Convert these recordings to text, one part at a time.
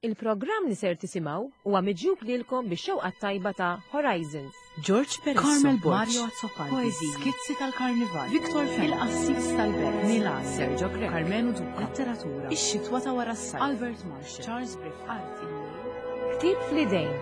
Il-programm li ser tisimgħu huwa miġjub lilkom bix-xewqa t-tajba ta' Horizons. George Peresso, Carmel Borg, Mario Azzopardi, Poeżiji, Skizzi tal-Karnival, Victor Fenech, Il-Qassis tal-Belt, Milan, Sergio Grech, Karmenu Duca, Letteratura, Ix-Xitwa ta' wara s-sajf, Albert Marshall, Charles Griffith, Arti, Ktieb fl-idejn.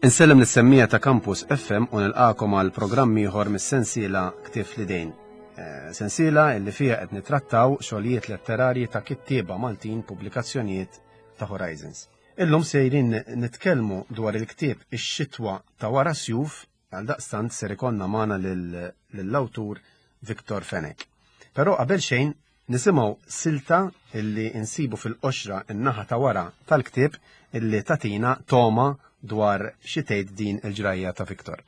Insellem lis-semmiegħa ta' Campus FM u nilqagħkom għal programm ieħor mis-sensiela Ktieb fl-idejn. Eh, sensiela li fiha qed nittrattaw xogħlijiet letterarji ta' kittieba Maltin pubblikazzjonijiet ta' Horizons. Illum sejrin nitkellmu dwar il-ktieb Ix-xitwa ta' wara sjuf għal daqstant ser ikollna magħna lill-awtur Victor Fenech. Però qabel xejn nisimgħu silta illi insibu fil-qoxra n-naħa ta' wara tal-ktieb illi tatina toma dwar xi tgħid din il-ġrajja ta' Victor.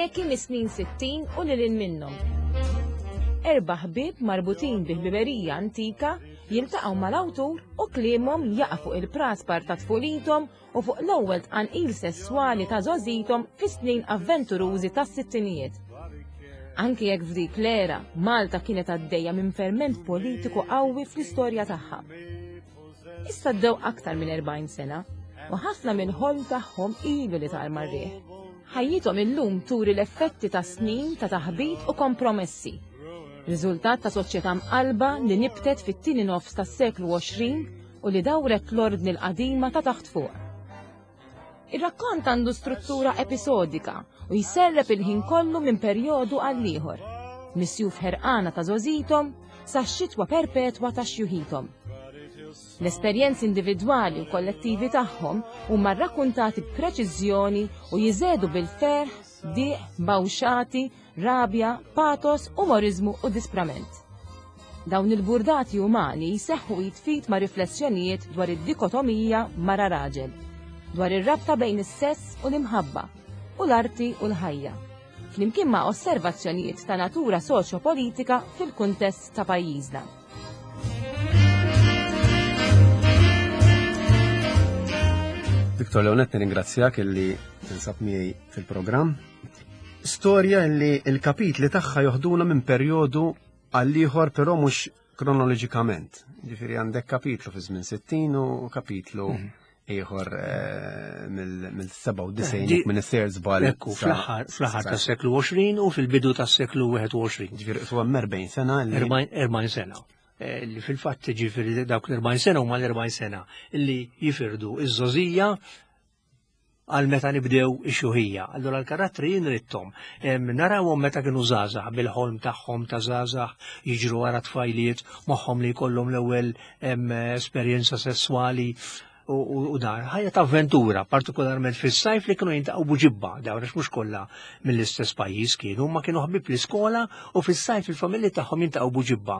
Eki mis-snin 60 u lil hinn minnhom. Erba' ħbieb marbutin bi ħbiberija antika jiltaqgħu mal-awtur u kliemhom jaqa' fuq il-praspar ta' tfulithom u fuq l-ewwel tqanqil sesswali ta' żgħożithom fis-snin avventurużi tas-sittinijiet. Anki jekk f'dik l-era Malta kienet għaddejja minn ferment politiku qawwi fl-istorja tagħha. Issa għaddew aktar minn 40 sena u ħafna mill-ħolm tagħhom ilu li tar mar-riħ. Ħajjithom illum turi l-effetti ta' snin ta' taħbit u kompromessi. Riżultat ta' soċjetà mqallba li nibtet fit-tieni nofs tas-seklu 20 u li dawret l-ordni l-qadima ta' taħt fuq. Ir-rakkont għandu struttura episodika u jserrep il-ħin kollu minn perjodu għal ieħor, mis-sjuf ħerqana ta' żgħożithom sax-xitwa perpetwa ta' xjuħithom. L-esperjenzi individwali u kollettivi tagħhom huma rrakkuntati b'preċiżjoni u jiżedu bil-ferħ, diq, bawxati, rabja, patos, umoriżmu u disprament. Dawn il-burdati umani jseħħu id f'id ma' riflessjonijiet dwar id-dikotomija mara-raġel, dwar ir-rabta bejn is-sess u l-imħabba, u l-arti u l-ħajja, flimkien ma' osservazzjonijiet ta' natura soċjopolitika fil-kuntest ta' pajjiżna. Victor Leonet, nirringrazzjak illi tinsab miegħi fil-programm. Storja li l-kapitli tagħha joħduna minn perjodu għal ieħor però mhux kronoloġikament. Ġifieri għandek kapitlu fi żmien 60 u kapitlu mhm. ieħor eh, mill-97 eh, minn is-ser żball. Ekku, fl-aħħar tas-seklu 20 u fil-bidu tas-seklu 21. Ġifieri huwa 40 sena. 40 sena. Eh, li fil-fatt ġifieri dawk l-40 sena huma l-40 sena li jifirdu iż-żożija għal meta nibdew ix-xjuħija. Allura l-karattri jien ridthom. Narawhom meta kienu żgħażagħ bil-ħolm tagħhom ta' żgħażagħ jiġru wara tfajliet moħħhom li jkollhom l-ewwel esperjenza sesswali u dan. Ħajja ta' avventura, partikolarment fis-sajf li kienu jintaqgħu buġibba, dawn għax mhux kollha mill-istess pajjiż kienu, ma kienu ħbieb l-iskola u fis-sajf il-familji tagħhom jintaqgħu buġibba.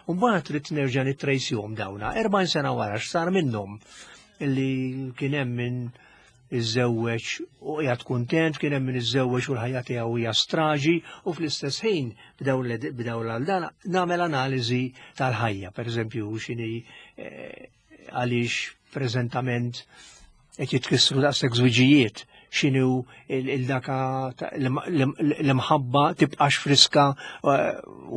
U mbagħad trid nerġa' nittrejsihom dawna, 40 sena wara x'sar minnhom li kien hemm min iżżewweġ u qiegħed kuntent, kien hemm min iżżewweġ u l-ħajja tiegħu hija straġi u fl-istess ħin bdew l dan nagħmel analiżi tal-ħajja, pereżempju x'inhi eh, għaliex preżentament qed jitkissru daqshekk żwiġijiet x'inhu il-daka l-imħabba tibqax friska eh,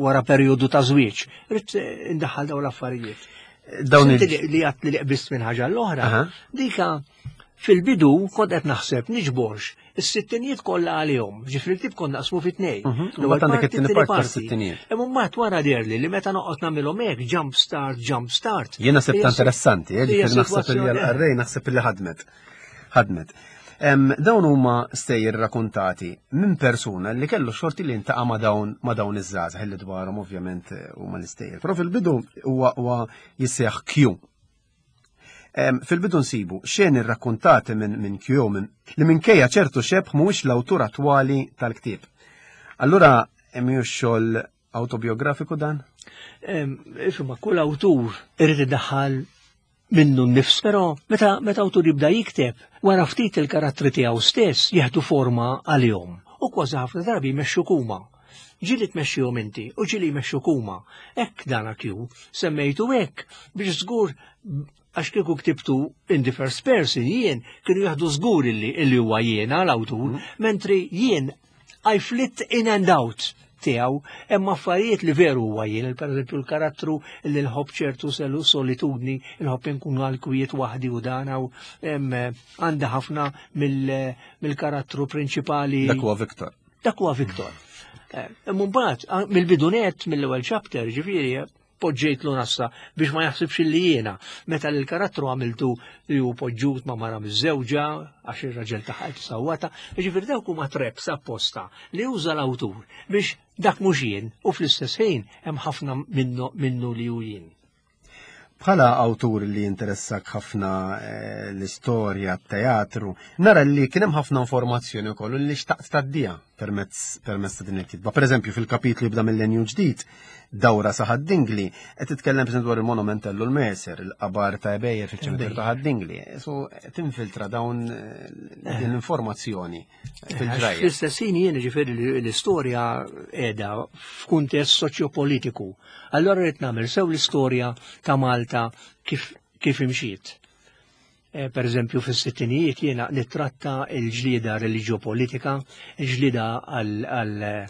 wara perjodu ta' żwieġ. Rrid indaħħal dawn l-affarijiet. Dawn li għat li qbist minn ħaġa l-oħra, dika fil-bidu kont qed naħseb niġborx is-sittinijiet kollha għalihom, ġifri l-tip kont naqsmu fit tnejn. Mhm, l-ewwel għandek it-tieni parti tas-sittinijiet. Imma mbagħad wara derli li meta noqgħod nagħmilhom hekk jump start, jump start. Jiena sibta interessanti, eh, ġifieri naħseb li għall-qarrej naħseb li ħadmet. Ħadmet. Dawn huma stejjer rakontati minn persuna li kellu xorti li ntaqa' ma' dawn ma' dawn iż-żgħażagħ li dwarhom ovvjament eh, huma l-istejjer. Però fil-bidu huwa huwa jissejjaħ Q. Fil-bidu nsibu xeni rrakkontati minn min Q minn li minkejja ċertu xebh mhuwiex l-awtur attwali tal-ktieb. Allura mhijiex xogħol autobiografiku dan? Insomma, kull awtur irid idaħħal minnu nnifs, però meta meta awtur jibda jikteb, wara ftit il-karattri tiegħu stess jieħdu forma għalihom u kważi ħafna drabi jmexxuk huma. Ġieli tmexxihom inti u ġieli jmexxuk huma. Hekk dan Q semmejtu hekk biex żgur għax kieku ktibtu in the first person jien kienu jaħdu żgur illi illi huwa jiena l-awtur, mm. mentri jien I flit in and out. tiegħu, hemm affarijiet li veru huwa jien, pereżempju l-karattru li nħobb ċertu selu solitudni, nħobb inkun għal kwiet waħdi u dan u għandha ħafna mill-karattru prinċipali. Dak huwa Victor. Dak huwa Victor. Eh, mbagħad mill-bidunet mill-ewwel chapter, ġifieri, poġġejtlu nassa biex ma jaħsibx li jiena. Meta l-karattru għamiltu li hu poġġut ma' mara miż-żewġa għax ir-raġel tagħha qed sawwata, jiġifieri dawk huma traps apposta li uża l-awtur biex dak mhux jien u fl-istess ħin hemm ħafna minnu li hu jien. Bħala awtur li jinteressak ħafna eh, l-istorja, t-teatru, nara li kien hemm ħafna informazzjoni wkoll li xtaqt tgħaddiha permezz permezz ta' din il-kitba. Pereżempju fil-kapitlu jibda mill-Lenju ġdid, dawra sa Ħad-Dingli, qed titkellem pereżempju dwar il-monumentellu l-Mercer, il-qabar ta' Ebejjer fiċ-ċimiterju ta' Ħad-Dingli. So tinfiltra dawn eh, din l-informazzjoni fil-ġrajja. Fl-istess ħin jien ġifieri l-istorja qiegħda f'kuntest soċjopolitiku. Allora rrid nagħmel sew l-istorja ta' Malta kif kif imxiet. Eh, per eżempju, fis-sittinijiet jiena nittratta l-ġlieda reliġjopolitika, il-ġlieda għal eh,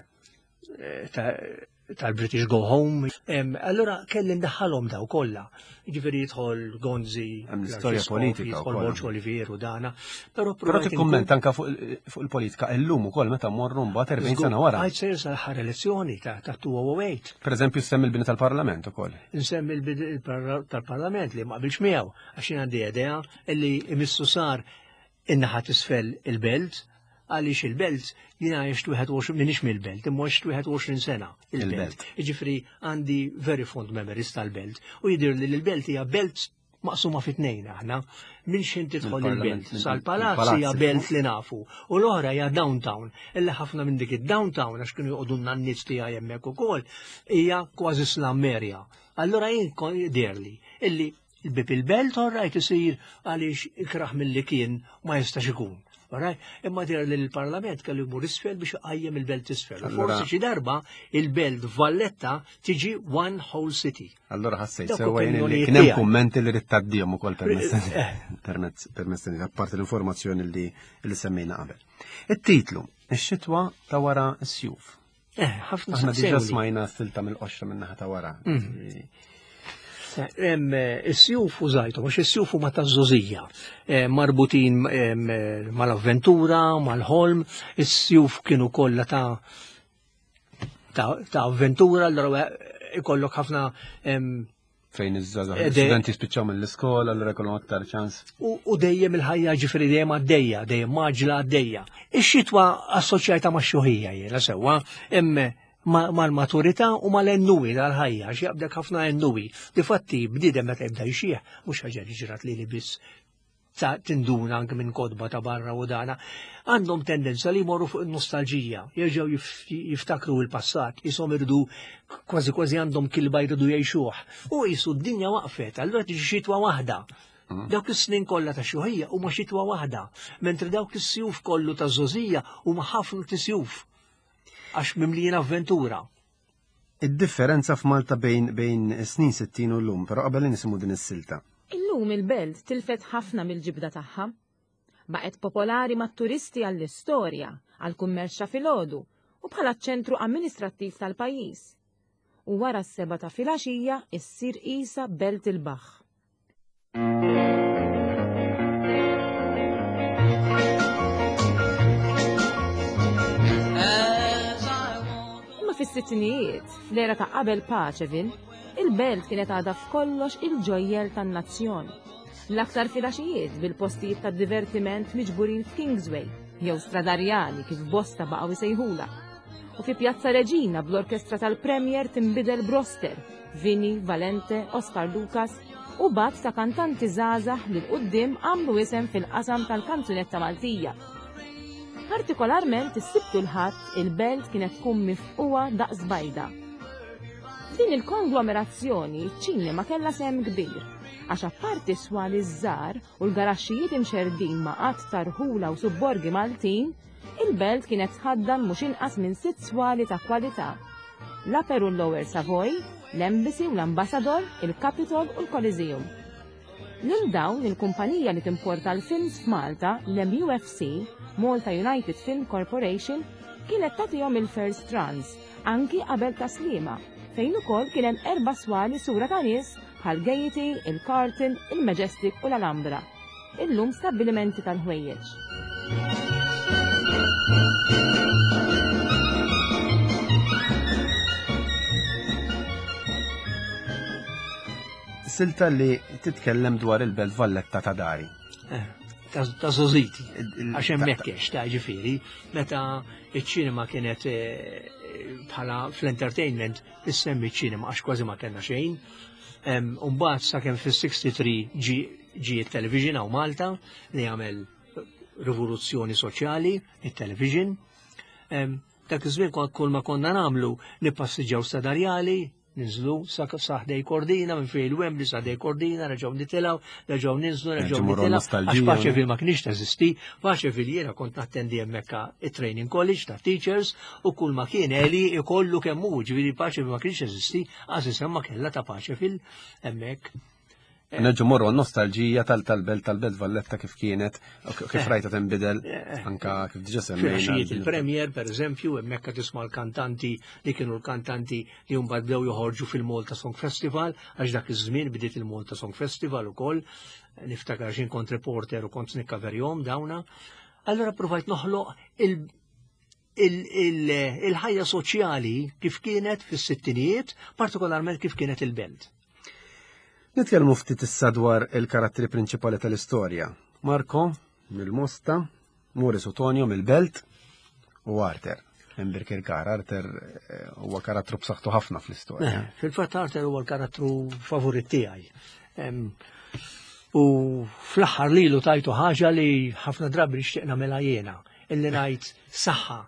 tal-British Go Home. Allora kelli ndaħħalhom daw kollha. Ġifieri jidħol Gonzi, l-istorja politika, jidħol Borġ Olivier u dana. Però Però tikkumment anka fuq il-politika illum ukoll meta mmorru mbagħad 40 sena wara. Għajt sejr sal-aħħar elezzjoni ta' 2008. Per eżempju semmi l-bini tal-Parlament ukoll. Nsemmi l-bini tal-Parlament li ma qbilx miegħu għax jien għandi idea li imissu sar in-naħa t'isfel il-belt, għaliex il-belt jiena għext 21 minix mill-belt, imma għext 21 sena il-belt. Jiġifieri għandi very fond memories tal-belt u jidhir li l-belt hija belt maqsuma fi tnejn aħna. Minn xejn tidħol il-belt sal-palazz hija belt li nafu u l-oħra hija downtown. Illi ħafna minn dik id-downtown għax kienu joqogħdu n-nanniet tiegħi hemmhekk ukoll hija kważi slum area. Allura jien jidhirli illi Il-bib il-belt orrajt isir għaliex ikrah milli kien ma jistax ikun. Alright? Imma dir li l-Parlament kellu jmur isfel biex iqajjem il-belt isfel. Forsi xi darba il-belt Valletta tiġi one whole city. Allora ħassejt sewwa jien li kien hemm kummenti li rid tgħaddihom ukoll permezz eh. permezz permezz apparti l-informazzjoni li li semmejna qabel. It-titlu, ix-xitwa ta' wara s-sjuf. Eh, ħafna Aħna diġà smajna silta mill-qoxra minn naħa ta' wara. Mm. Eh, is-sjuf użajtu, għax is-sjuf huma ta' żożija, eh, marbutin mal-avventura, mal-ħolm, is-sjuf kienu kollha ta' ta' avventura, allura ikollok ħafna fejn iż-żgħażagħ l-istudenti spiċċaw mill-iskola allura jkollhom aktar ċans. U dejjem il-ħajja ġifieri dejjem għaddejja, dejjem maġla għaddejja. Ix-xitwa assoċjajta ma' xuħija jiena sewwa, imma mal-maturità u mal-ennuwi tal-ħajja, għax jaqbdek ħafna ennuwi. Difatti, bniedem meta jibda jxieħ, mhux ħaġa li ġrat li li biss ta' tinduna anke minn kodba ta' barra u dana, għandhom tendenza li jmorru fuq il-nostalġija, jerġgħu jiftakru il-passat, jisom irdu kważi kważi għandhom kilba jridu jgħixuh. U jisu d-dinja waqfet, allura tiġi xitwa waħda. Mm. Dawk is-snin kollha ta' xuħija huma xitwa waħda, mentri dawk is-sjuf kollu ta' żożija huma ħafna tisjuf għax mimlijin avventura. Id-differenza f'Malta bejn bejn is-snin 60 u llum, però qabel nisimgħu din is-silta. Illum il-belt tilfet ħafna mill-ġibda tagħha. Baqgħet popolari mat-turisti għall-istorja, għall-kummerċ ta' filgħodu u bħala ċ-ċentru amministrattiv tal-pajjiż. U wara s-sebgħa ta' filgħaxija issir qisha belt il-baħħ. Imma fis-sittinijiet, fl-era ta' qabel Paceville, il-belt kienet għadha f'kollox il-ġojjel tan-nazzjon. L-aktar filgħaxijiet bil-postijiet ta' divertiment miġburin f'Kingsway, jew Stradarjali kif bosta baqgħu jsejħulha. U fi Pjazza Reġina bl-orkestra tal-Premier tinbidel b'roster, Vinny, Valente, Oscar Lucas u b'għadd ta' kantanti żgħażagħ li 'l quddiem għamlu isem fil-qasam tal-kanzunetta Maltija. Partikolarment is-Sibt u l-Ħadd il-belt kienet tkun mifqugħa daqs bajda. F'din il-konglomerazzjoni ċ-ċinema kellha sehem kbir, għax apparti s-swali ż-żgħar u l-garaxxijiet imxerrdin ma' għadd ta' rħula u subborgi Maltin, Il-belt kienet tħaddan mhux inqas minn sitt swali ta' kwalità, l-Upper u l-Lower Savoy, l-Embassy u l-Ambassador, il-Capitol u l-Coliseum. Lil dawn, il-kumpanija li timporta l-films f'Malta, l-MUFC, Malta United Film Corporation, kienet tagħtihom il-first runs anki qabel Tas-Sliema, fejn ukoll kien hemm erba' swali sura ta' nies bħal Gaiety, il-Carlton, il-Majestic u l-Alhambra, illum stabbilimenti tal-ħwejjeġ. Silta li titkellem dwar il-Belt Valletta ta' dari. Eh, ta' zoziti, għax hemmhekk ta' ġifieri, meta iċ-ċinema kienet eh, bħala fl-entertainment issemmi ċ-ċinema għax kważi ma kellna xejn. Umbagħad sakemm fis-63 ġi it-television hawn Malta li għamel rivoluzzjoni soċjali, it-television. Dak iż-żmien kull ma konna nagħmlu nippassiġġaw sadarjali, ninżlu sa ħdej Kordina, minn fejn il-Wembley sa ħdej Kordina, nerġgħu nitilgħu, nerġgħu ninżlu, nerġgħu nitilgħu. Għax Paċeville ma kienx teżisti, Paċeville jiena kont nattendi hemmhekk it-training college ta' teachers u kull ma kien eli ikollu kemm hu, ġifieri Paċeville ma kienx teżisti, għaż isem ma kellha ta' Paċeville hemmhekk. Eh. Nerġu morru nostalġija tal-belt tal-belt Valletta kif kienet, kif eh. rajta tinbidel, eh. anka kif diġa semmejna. Filgħaxijiet il-Premier, per eżempju, hemmhekk tisma' l-kantanti li kienu l-kantanti li mbagħad bdew joħorġu fil-Malta Song Festival, għax dak iż-żmien bdiet il-Malta Song Festival ukoll, niftakar x'in kont reporter u kont nikkaverjhom dawna. Allora provajt noħloq il-ħajja soċjali kif kienet fis-sittinijiet, partikolarment kif kienet il-belt. Nitkellmu ftit issa dwar il-karattri prinċipali tal-istorja. Marco mill-Mosta, Morris Otonio mill-Belt u Arter minn Birkirkar. Arter eh, huwa karattru b'saħħtu ħafna fl-istorja. Eh, fil-fatt Arter huwa l-karattru favorit tiegħi. U fl-aħħar lilu tajtu ħaġa li ħafna drabi nixtieq nagħmilha jiena illi ngħid saħħa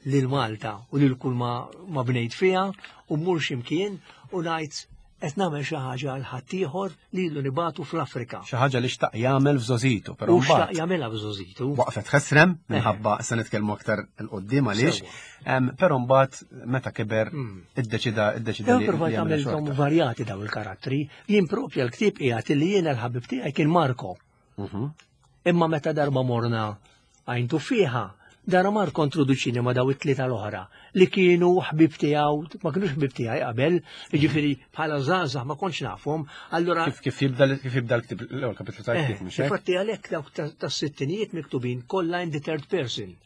lil Malta u lil kull ma, ma bnejt fiha u mmur x'imkien u ngħid qed nagħmel xi ħaġa għal ħaddieħor li ilu nibatu fl-Afrika. Xi ħaġa li xtaq jagħmel f'żożitu, però U xtaq jagħmilha f'żożitu. Waqfet ħesrem eh. minħabba se nitkellmu aktar il qudiem għaliex, però mbagħad meta kiber hmm. iddeċida iddeċida li. Provajt għamilthom varjati daw il-karattri, jien propja l-ktieb qiegħed li jiena l-ħabib tiegħi kien Marko. Mhm. Imma meta darba morna għajn tuffiħa, dara mar kontroduċini ma daw it-tlieta l-oħra li kienu ħbib tiegħu, ma kienux ħbib tiegħi qabel, jiġifieri bħala żgħażagħ ma kontx nafhom, allura kif jibda kif jibda l-ktib l-ewwel kapitlu tal-ktieb eh, mhux hekk? Infatti għalhekk dawk tas-sittinijiet miktubin kollha in the third person.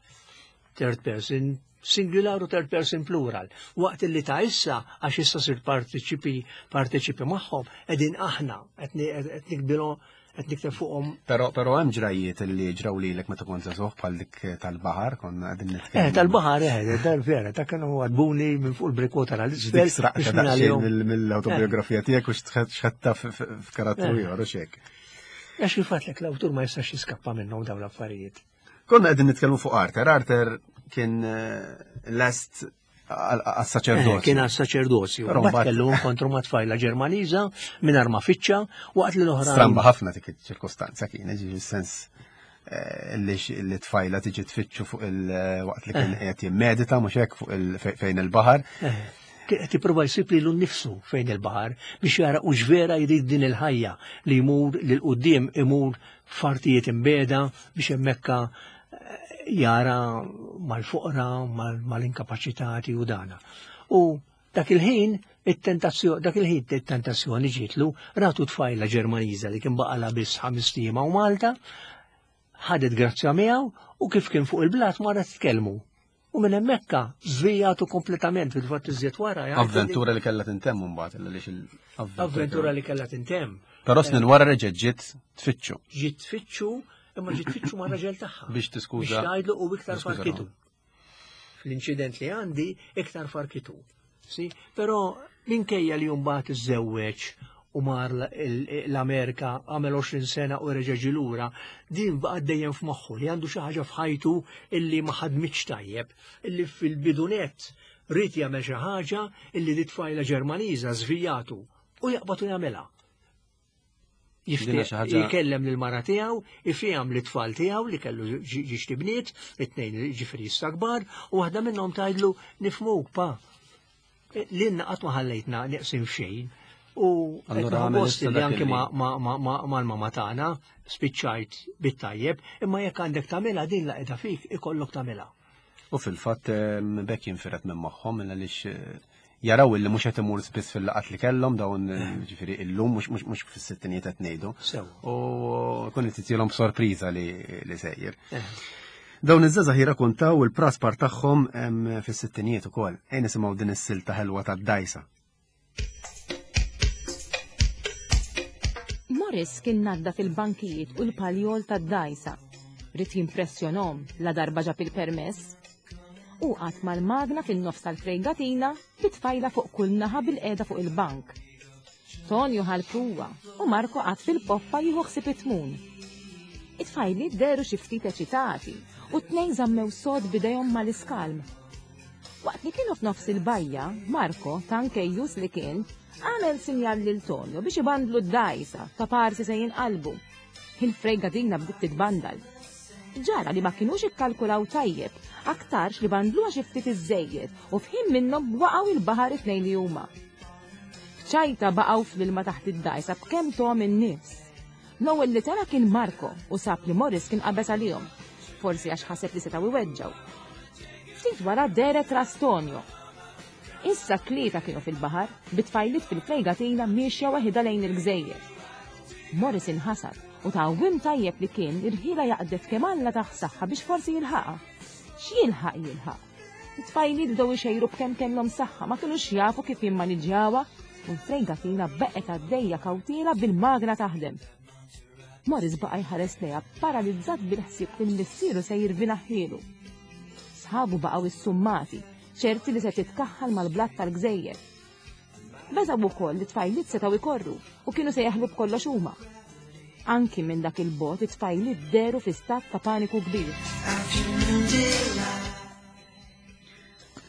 Third person singular u third person plural. Waqt li ta' issa, għax issa sirt partiċipi partiċipi magħhom, qegħdin aħna qed nikbilu qed nikteb fuqhom. Però però hemm ġrajiet li ġraw lilek meta kont żagħżugħ bħal dik tal-baħar konna qegħdin nitkellmu. Eh tal-baħar eh dar vera ta' kienu għadbuni minn fuq il-brikota tal-isfel. Dik sraqta daqsxejn mill-autobiografija tiegħek u xħatta f'karattru eh. ieħor u xek. Għax kif għadlek l-awtur ma jistax jiskappa minnhom dawn l-affarijiet. Konna qegħdin nitkellmu fuq Arthur. Arthur kien eh, lest għas-saċerdozju. Eh, kien għas-saċerdozju. Però mbagħad kellu inkontru ma' tfajla Ġermaniża mingħajr ma fittxa waqt li l-oħra. Stramba ħafna dik iċ-ċirkostanza kien, ġifieri sens eh, li tfajla tiġi tfittxu fuq il-waqt li kien qed jimmedita mhux hekk fuq fejn il-baħar. Qed jipprova jsib lilu nnifsu fejn il-baħar biex jara hux vera jrid din il-ħajja li jmur lil quddiem imur f'artijiet imbegħda biex hemmhekk eh, jara mal-foqra, mal-inkapaċitati u dana. U dak il-ħin it-tentazzjoni dak il-ħin it-tentazzjoni ġietlu ratu tfajla Ġermaniża li kien baqala biss ħames ijiem hawn Malta, ħadet grazzja miegħu u kif kien fuq il-blat marret tkellmu. U minn hemmhekk żvijatu kompletament fil-fatt iżjed wara. Avventura li kellha tintemm imbagħad illa lix Avventura li kellha tintemm. Però snin wara reġgħet ġiet tfittxu. Ġiet tfittxu, imma ġiet tfittxu ma' raġel tagħha. Biex tiskuża. Biex tgħidlu u iktar farkitu. Fl-inċident li għandi iktar farkitu. Si, però minkejja li mbagħad iżżewweġ u mar l-Amerika għamel 20 sena u reġa' ġie lura, din baqgħet dejjem f'moħħu li għandu xi ħaġa f'ħajtu illi ma ħadmitx tajjeb, illi fil-bidunet ried jagħmel xi ħaġa illi di tfajla Ġermaniża żvijatu u jaqbad u jagħmilha. Jikellem lil mara tiegħu, ifiham li tfal tiegħu li kellu ġiex tibniet, it-tnejn ġifieri issa kbar, u waħda minnhom tgħidlu nifhmuk pa. E, lilna qatt ma ħallejtna neqsin f'xejn. U allura gost li anke mal-mama tagħna spiċċajt bit-tajjeb, imma jekk għandek tagħmilha din la qiegħda fik ikollok tagħmilha. U fil-fatt bekk jinfiret minn moħħhom għaliex eh, jaraw illi mhux qed imur spiss fil-laqat li kellhom dawn eh, ġifieri illum mhux fis-sittinijiet qed ngħidu. U kun qed titilhom sorpriża li sejjer. Eh. Dawn iż-żgħażagħ jirrakuntaw il-praspar tagħhom fis-sittinijiet ukoll. Ejn nisimgħu din is-silta ħelwa tad-dajsa. Morris kien nadda fil-bankijiet u l-paljol tad-dajsa. Rid jimpressjonom la darba ġab il-permess. U qatt mal-magna fin-nofs tal-frejgatina bitfajla fuq kull naħa bil-qeda fuq il-bank. Tonio ħal-pruwa u Marco qatt fil-poppa jieħu ħsieb it-tmun. It-tfajliet dehru xi ftit eċitati u t-tnejn żammew sod b'idejhom mal-iskalm. Waqt li kienu f'nofs il-bajja, Marco, tankejjus li kien, għamel sinjal lil Tonio biex ibandlu d-dgħajsa ta' parsi se jinqalbu. Il-frejgatina bdiet titbandal. Ġara li ma kinux ikkalkulaw tajjeb, aktarx li bandluha xi ftit iżżejjed u f'ħin minnhom waqgħu il-baħar it-tnejn li huma. F'ċajta baqgħu fl-ilma taħt id-dgħajsa b'kemm tom in-nifs. L-ewwel li tela' kien Marco u sab li Morris kien qabeż għalihom, forsi għax ħaseb li setgħu iweġġgħu. Ftit wara dehret ras Tonio. Issa t-tlieta kienu fil-baħar, bit-tfajliet fil-frejgatina miexja waħidha lejn il-gżejjer. Morris inħasad u ta' għawwiem tajjeb li kien irħielha jaqdef kemm Alla tah saħħa biex forsi jilħaqha. X'jilħaq jilħaq? It-tfajliet bdew ixejru b'kemm kellhom saħħa, ma kinux jafu kif jimmaniġġjawha u l-frejgatina beqgħet għaddejja kawtiela bil-magna taħdem. Morris baqa' jħares lejha paralizzat bil-ħsieb li missieru se jirvina ħielu. Sħabu baqgħu issummati, ċerti li se titkaħħal mal-blat tal-gżejjer. Beżgħu wkoll li tfajliet setgħu jkorru u kienu se jaħlu b'kollox huma. Anki minn dak il-bot it-tfajliet deru fi stat ta' paniku kbir.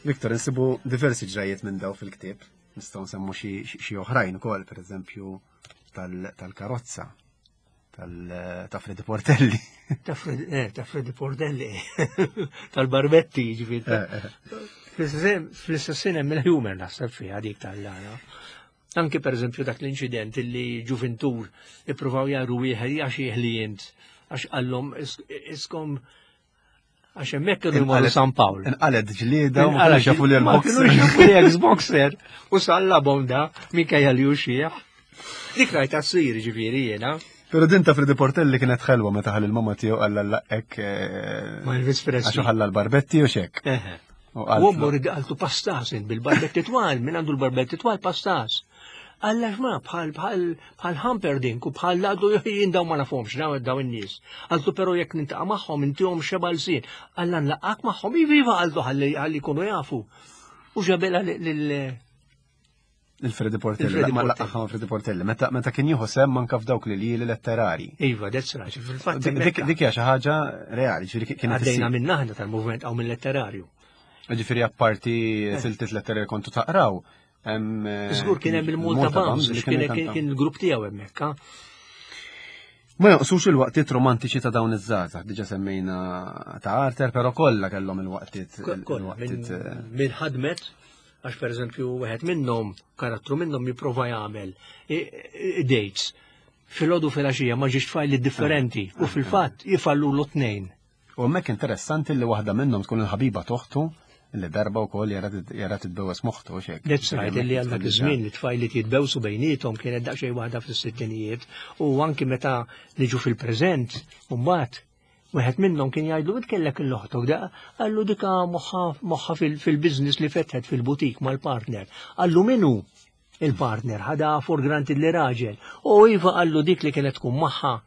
Viktor, insibu diversi ġrajiet minn daw fil-ktieb. Nistgħu nsemmu xi oħrajn ukoll, pereżempju tal-karozza ta' Freddy Portelli. Ta' eh, Freddy Portelli, tal-barbetti, ġifiri. Eh, eh. Fl-istess hemm il-humor naħseb fiha dik tal-lana. Anki per eżempju dak l-inċident li ġuvintur ippruvaw jaru wieħed għax jieħli int għax qallhom iskom Għax hemmhekk kienu jmorru San Pawl. Inqalet ġlieda u ma kinux jafu li l-boxer. Ma jafu li ex-boxer u sallabhom da minkejja li hu xieħ. Dik rajta ssir ġifieri jiena. Pero din ta' Freddy Portelli kienet ħelwa meta ħall il-mamma tiegħu qalla laqek. Eh, Ma Elvis Presley. Għax ħalla l-barbetti u xek. U ommu għaltu pastas bil-barbetti twal, minn għandu l-barbetti twal pastas. Alla xma bħal bħal bħal Humperdinck u bħal laqdu jien daw ma nafhomx daw daw in-nies. Għaltu però jekk nintaqa' magħhom intihom xeba lsien. Alla nlaqgħek magħhom iva għaltu ħalli ħalli jkunu jafu. U ġabela lil Il-Freddy Portelli, ma laqgħa Freddy Portelli, meta meta kien jieħu sem manka f'dawk li lili letterari. Iva, that's right, fil-fatt. Dik hija xi ħaġa reali, ġifieri kienet Għaddejna minn aħna tal-movement hawn mill-letterarju. Ġifieri apparti eh. siltiet letterari kontu taqraw, Eh, Żgur kien hemm il-Malta Bams, kien kien il-grupp tiegħu hemmhekk. Ma jonqsux il-waqtiet romantiċi ta' dawn iż-żgħażagħ, diġà semmejna ta' Arthur, però kollha kellhom il-waqtiet. Eh, minn ħadmet, għax pereżempju wieħed minnhom, karattru minnhom jipprova jagħmel dates. Filgħodu filgħaxija ma ġiex tfajli differenti u fil-fatt jifallu l-tnejn. U hemmhekk interessanti li waħda minnhom tkun il-ħabiba t'oħtu li darba wkoll jara titbewes moħħtu u xek. That's right, li għal dak iż-żmien li tfajliet jitbewsu bejniethom kienet daqsxejn waħda fis-sittinijiet u anki meta niġu fil-preżent u mbagħad wieħed minnhom kien jgħidlu int kellek il-oħtok da qallu dika moħħa fil-business li fetħet fil-butik mal-partner. Qallu min hu il-partner ħada for granted li raġel. U iva qallu dik li kienet tkun magħha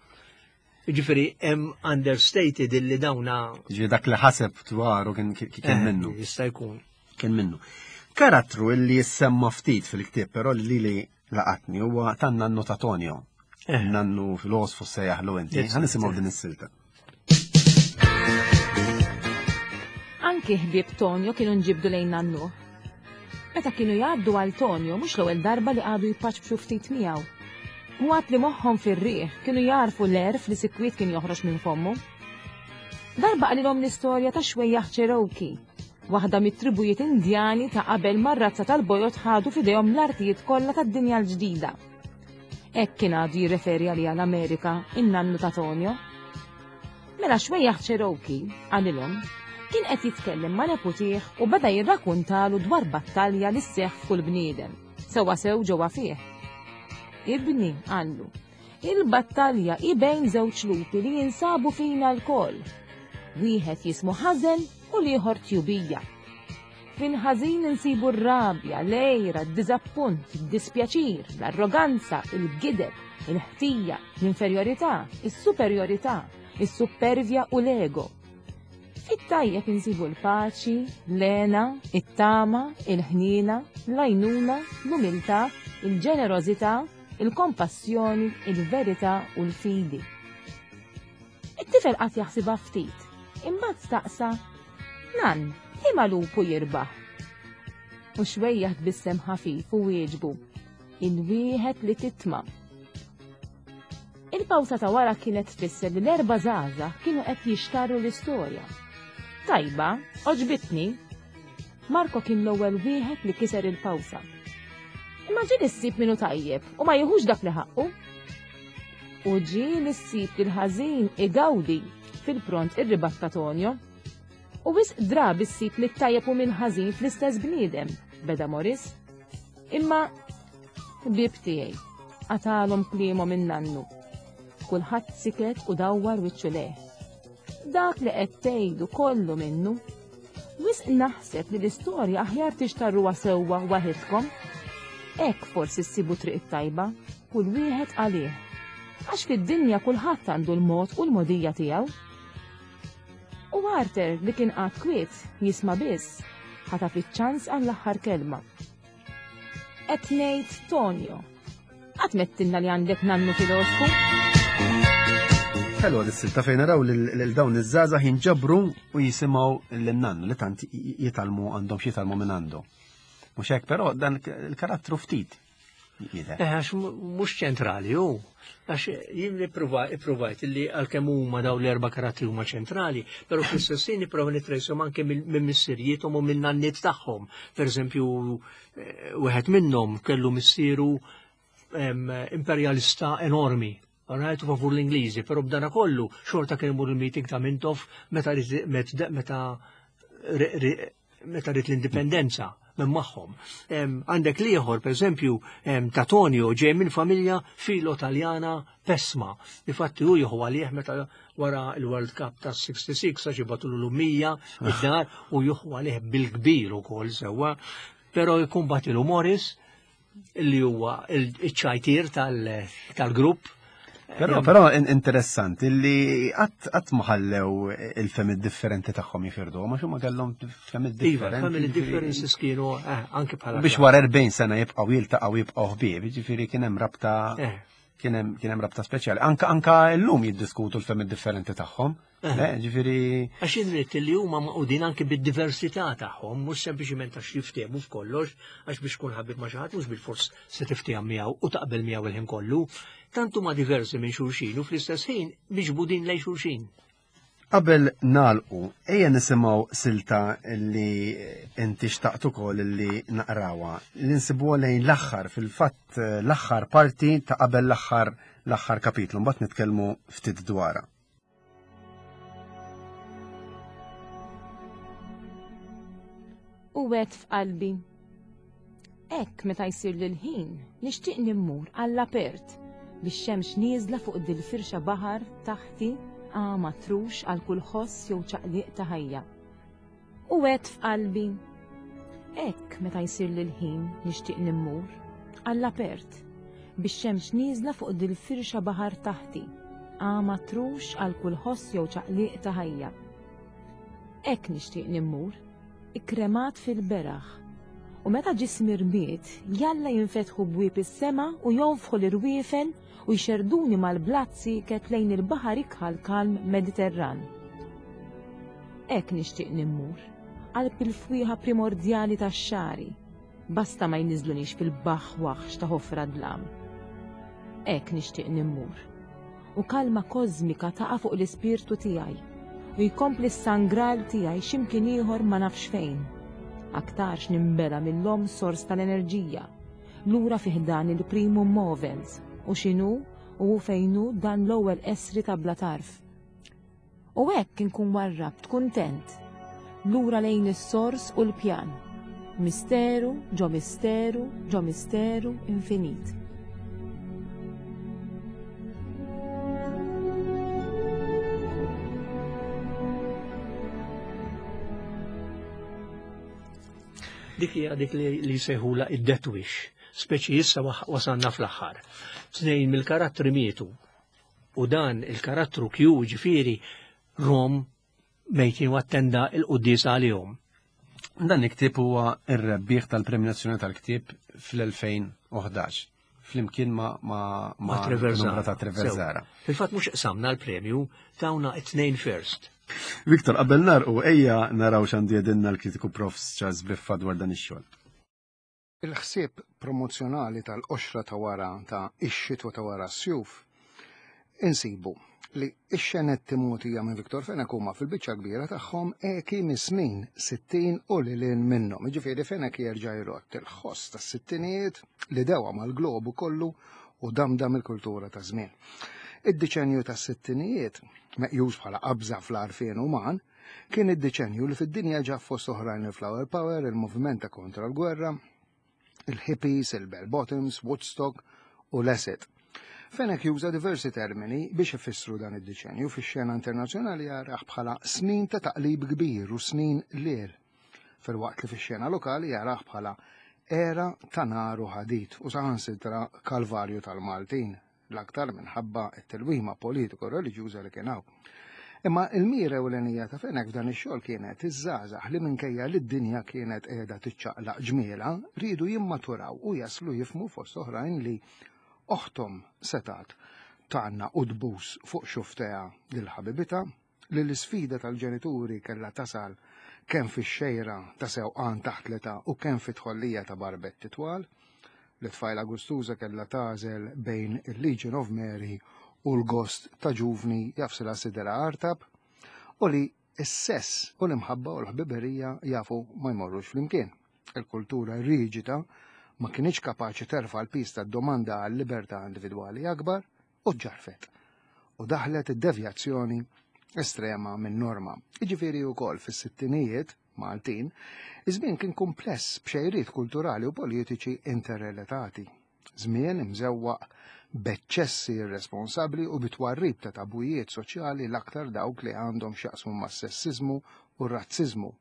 Ġifieri hemm understated illi dawna. Ġifieri dak li ħaseb dwaru kien eh, minnu. Jista' jkun. Kien minnu. Karattru illi jissemma ftit fil-ktieb però li li laqatni huwa tan nannu ta' Tonio. Eh. Nannu filosfu sejjaħlu inti. Ħa nisimgħu din is-silta. Anki ħbieb Tonio kienu nġibdu lejn nannu. Meta kienu jgħaddu għal Tonio mhux l-ewwel darba li qagħdu jpaċpċu ftit miegħu. U għad li moħħhom fir-riħ kienu jagħrfu l-għerf li sikwit kien joħroġ minn fommu. Darba qalilhom l-istorja ta' xwejjaħ Cherokee, waħda mit-tribujiet Indjani ta' qabel mar-razza tal-bojod ħadu f'idejhom l-artijiet kollha tad-dinja l-ġdida. Hekk kien għadu jirreferi għaliha l-Amerika in-nannu ta' Tonio. Mela xwejjaħ Cherokee, qalilhom, Kien qed jitkellem ma' neputih u beda jirrakuntalu dwar battalja li sseħħ f'kull bniedem, sewwa sew ġewwa fih. Ibni, qallu, il-battalja hi bejn żewġ lupi li jinsabu fina lkoll. Wieħed jismu ħażen u l-ieħor tjubija. Fil-ħażin insibu r-rabja, l-għira, d-diżappunt, id-dispjaċir, l-arroganza, il-gideb, il-ħtija, l-inferjorità, is-superjorità, is-suppervja u l-ego. Fit-tajjeb insibu l-paċi, l-hena, it-tama, il-ħniena, l-għajnuna, l-umiltà, il-ġenerożità, il-kompassjoni, il-verità u l-fidi. It-tifel qagħad jaħsibha ftit, imbagħad staqsa, Nan, liema lupu jirbaħ? U xwejjaħ tbissem ħafif u wieġbu, Il-wieħed li titma'. Il-pawsa ta' wara kienet tfisser li l-erba' żgħażagħ kienu qed jixtarru l-istorja. Tajba, għoġbitni. Marco kien l-ewwel wieħed li kiser il-pawsa. Imma ġieli ssib min hu tajjeb u ma jieħux dak li ħaqqu. U ġieli ssib li l-ħażin igawdi fil-pront irribatta Tonio. U wisq drabi ssib li t-tajjeb u min ħażin fl-istess bniedem, beda Morris. Imma ħbieb tiegħi, qatalhom kliemhom in-nannu. Kulħadd siket u dawwar wiċċu lejh. Dak li qed tgħidu kollu minnu. Wisq naħseb li l-istorja aħjar tixtarruha sewwa waħidkom. Hekk forsi ssibu triq it-tajba, kull wieħed għalih. Għax fid-dinja kulħadd għandu l-mod u l-mogħdija tiegħu. U Arthur li kien qagħad kwiet jisma' biss, ħataf iċ-ċans għall-aħħar kelma. Qed ngħid Tonio. Qatt mettilna li għandek nannu filosfu? Ħelwa dis-silta fejn naraw lil dawn iż-żgħażagħ jinġabru u jisimgħu lin-nannu li tant jitgħallmu għandhom x'jitgħallmu minn għandu. Mhux hekk, però dan il-karattru ftit jidher. Eh, għax mhux ċentrali hu. Għax jien ippruvajt li għalkemm huma dawn l-erba' karattri huma ċentrali, però fl-istess ħin nipprova nitrejshom anke minn missirijiethom u minn nanniet tagħhom. Per eżempju, eh, wieħed minnhom kellu missieru imperjalista enormi. Rajtu favur l-Ingliżi, però b'dana kollu xorta kien imur il-meeting ta' Mintoff meta meta meta rrid l-indipendenza minn magħhom. Għandek liħor, per eżempju, ta' Tonio ġej minn familja filo-Taljana pesma. Infatti hu jieħu għalih meta wara l-World Cup ta' 66 għax jibgħatulu l-ummija id-dar u jieħu għalih bil-kbir ukoll sewwa. Però jkun batilu Morris li huwa il-ċajtir tal-grupp. Però, però interessanti li qatt ma ħallew il-femi differenti tagħhom jifirdu, ma xumma kellhom femi Iva, differenti. family differences kienu eh, anke bħala. Biex wara 40 sena jibqgħu jiltaqgħu jibqgħu ħbieb, jiġifieri kien hemm rabta Eh, kien hemm kien hemm rabta speċjali. Anka anka llum jiddiskutu l-femi differenti tagħhom. Eh. Eh, Ġifieri Għax irrid li huma maqudin anke bid-diversità tagħhom, mhux sempliċiment għax jiftehmu f'kollox, għax biex tkun ħabib ma' xi ħadd mhux bilfors se tiftehom miegħu u taqbel miegħu il-ħin kollu. Tant huma diversi minn xulxin u fl-istess ħin miġbudin lejn xulxin. Qabel nagħlqu, ejja nisimgħu silta li inti xtaqt ukoll li naqrawha, li nsibuha lejn l-aħħar fil-fatt l-aħħar parti ta' qabel l-aħħar l-aħħar kapitlu, mbagħad nitkellmu ftit dwarha. U għedt f'qalbi, Hekk meta jsir l-ħin, nixtieq nimmur għall-apert bix-xemx nieżla fuq dil-firxa baħar taħti għama trux għal kull ħoss jew ċaqliq ta' ħajja. U għedt f'qalbi, Hekk meta jsir l-ħin nixtieq nimmur għall-apert bix-xemx nieżla fuq dil-firxa baħar taħti għama trux għal kull ħoss jew ċaqliq ta' ħajja. Hekk nixtieq nimmur, ikkremat fil-beraħ. U meta ġismi rmied, jalla jinfetħu bwieb is-sema u jonfħu l-irwiefen u jxerrduni mal-blat sieket lejn il-baħar ikħal kalm Mediterran. Hekk nixtieq nimmur, qalb il-fwieħa primordjali tax-xagħri, Basta ma jniżżlunix fil-baħħ waħx ta' ħofra dlam. Hekk nixtieq nimmur. U kalma kożmika taqa' fuq l-ispirtu tiegħi u jkompli s-sangral tiegħi x'imkien ieħor ma nafx fejn. Aktarx nimbela mill-omm sors tal-enerġija, lura fi ħdan il-primum movens u x'inhu u hu fejn hu dan l-ewwel essri ta' bla tarf. U hekk inkun warrabt kuntent. Lura lejn is-sors u l-pjan. Misteru ġo misteru ġo misteru infinit. Dik hija dik li jsejħula id-death wish, speċi issa wasalna fl-aħħar. Tnejn mill-karattri mietu u dan il-karattru Q ġifieri Rom mejtin u attenda il-quddiesa għalihom. Dan il-ktieb huwa r-rebbieħ tal-Premju Nazzjonali tal-Ktieb fl-2011 flimkien ma' ma' ma' Treverzara. Ta' Treverzara. Fil-fatt mhux qsamna l-premju, tawna it-tnejn first. Viktor, qabel narqu ejja naraw x'għandu jedinna l-kritiku Prof. Charles Briffa dwar dan ix-xogħol. Il-ħsieb promozzjonali tal-qoxra ta' wara ta' Ix-Xitwa ta' Wara s-Sjuf insibu li x-xenetti mogħtija minn Victor Fenech huma fil-biċċa kbira tagħhom eki mis-snin 60 u lil hinn minnhom. Jiġifieri Fenech jerġa' jrott il-ħoss tas-sittinijiet li dewa mal-globu kollu u damdam il-kultura ta' żmien. Id-diċenju tas-sittinijiet, meqjus bħala qabża fl-għarfien uman, Kien id-deċennju li fid-dinja ġab fost oħrajn il-Flower Power, il-moviment ta' kontra l-gwerra, il-hippies, il-bell bottoms, Woodstock u l-acid. Fenech juża diversi termini biex ifissru dan id-deċennju fix-xena internazzjonali jarah bħala snin ta' taqlib kbir u snin liel, filwaqt li fix-xena lokali jarah bħala era ta' nar u ħadid u saħansitra kalvarju tal-Maltin. l-aktar minħabba t-tilwima politiko-reliġjuża li kien hawn. Imma il-mira ewlenija ta' Fenech f'dan ix-xogħol kienet iż-żgħażagħ li minkejja li d-dinja kienet qiegħda tiċċaqlaq ġmielha, riedu jimmaturaw u jaslu jifhmu fost oħrajn li oħthom setgħet tgħannaq u tbus fuq xufftejha lil ħabibitha, li l-isfida tal-ġenituri kellha tasal kemm fix-xejra ta' sewqan taħt l-età u kemm fit-tħollija ta' barbetti twal, li tfajla gustuża kellha tagħżel bejn il-Legion of Mary u l-gost ta' ġuvni jagħfsilha siderha artab, u li s-sess u l-imħabba u l-ħbiberija jafu ma jmorrux flimkien. Il-kultura riġida ma kinitx kapaċi terfa' l-piż tad-domanda għal libertà individwali akbar, u ġġarfet u daħlet id-devjazzjoni estrema minn norma. Jiġifieri wkoll fis-sittinijiet Maltin, iż-żmien kien kumpless b'xejriet kulturali u politiċi interrelatati. Żmien imżewwaq b'eċċessi irresponsabbli u bi twarrib ta' tabujiet soċjali l-aktar dawk li għandhom x'jaqsmu mas-sessiżmu u r-razziżmu.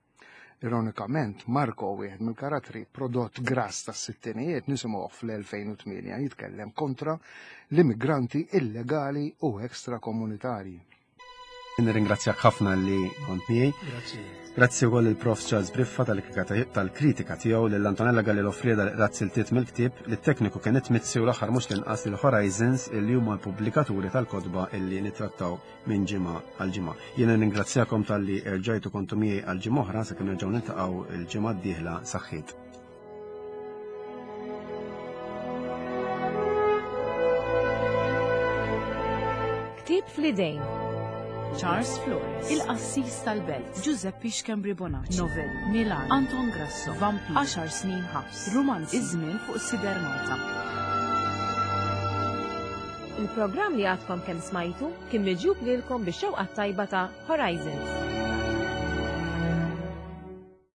Ironikament, Marco, wieħed mill-karattri prodott grass tas-sittinijiet, nisimgħuh fl-2008 jitkellem kontra l-immigranti illegali u extrakomunitarji. Nirringrazzjak ħafna li kont miegħi. Grazzi. Grazzi wkoll il-Prof Charles Briffa tal-kritika tiegħu lil Antonella Galli Lofrieda li qrat siltiet mill-ktieb, lit-tekniku Kenneth Mizzi u l-aħħar mhux l-inqas lil Horizons illi huma l-pubblikaturi tal-kotba illi nittrattaw minn ġimgħa għal ġimgħa. Jiena nirringrazzjakom talli erġajtu kontu miegħi għal ġimgħa oħra sakemm nerġgħu niltaqgħu il-ġimgħa d-dieħla saħħiet. Ktieb fl-idejn. Charles Flores, Il-Qassis tal-Belt, Giuseppe Schembri Bonacci, Novelli, Milan, Anton Grasso, Vampir, 10 snin ħabs, Rumanzi, Iż-żmien fuq Sider Malta. Il-programm li għadkom kemm smajtu kien miġjub lilkom bix-xewqa t-tajba ta' Horizons.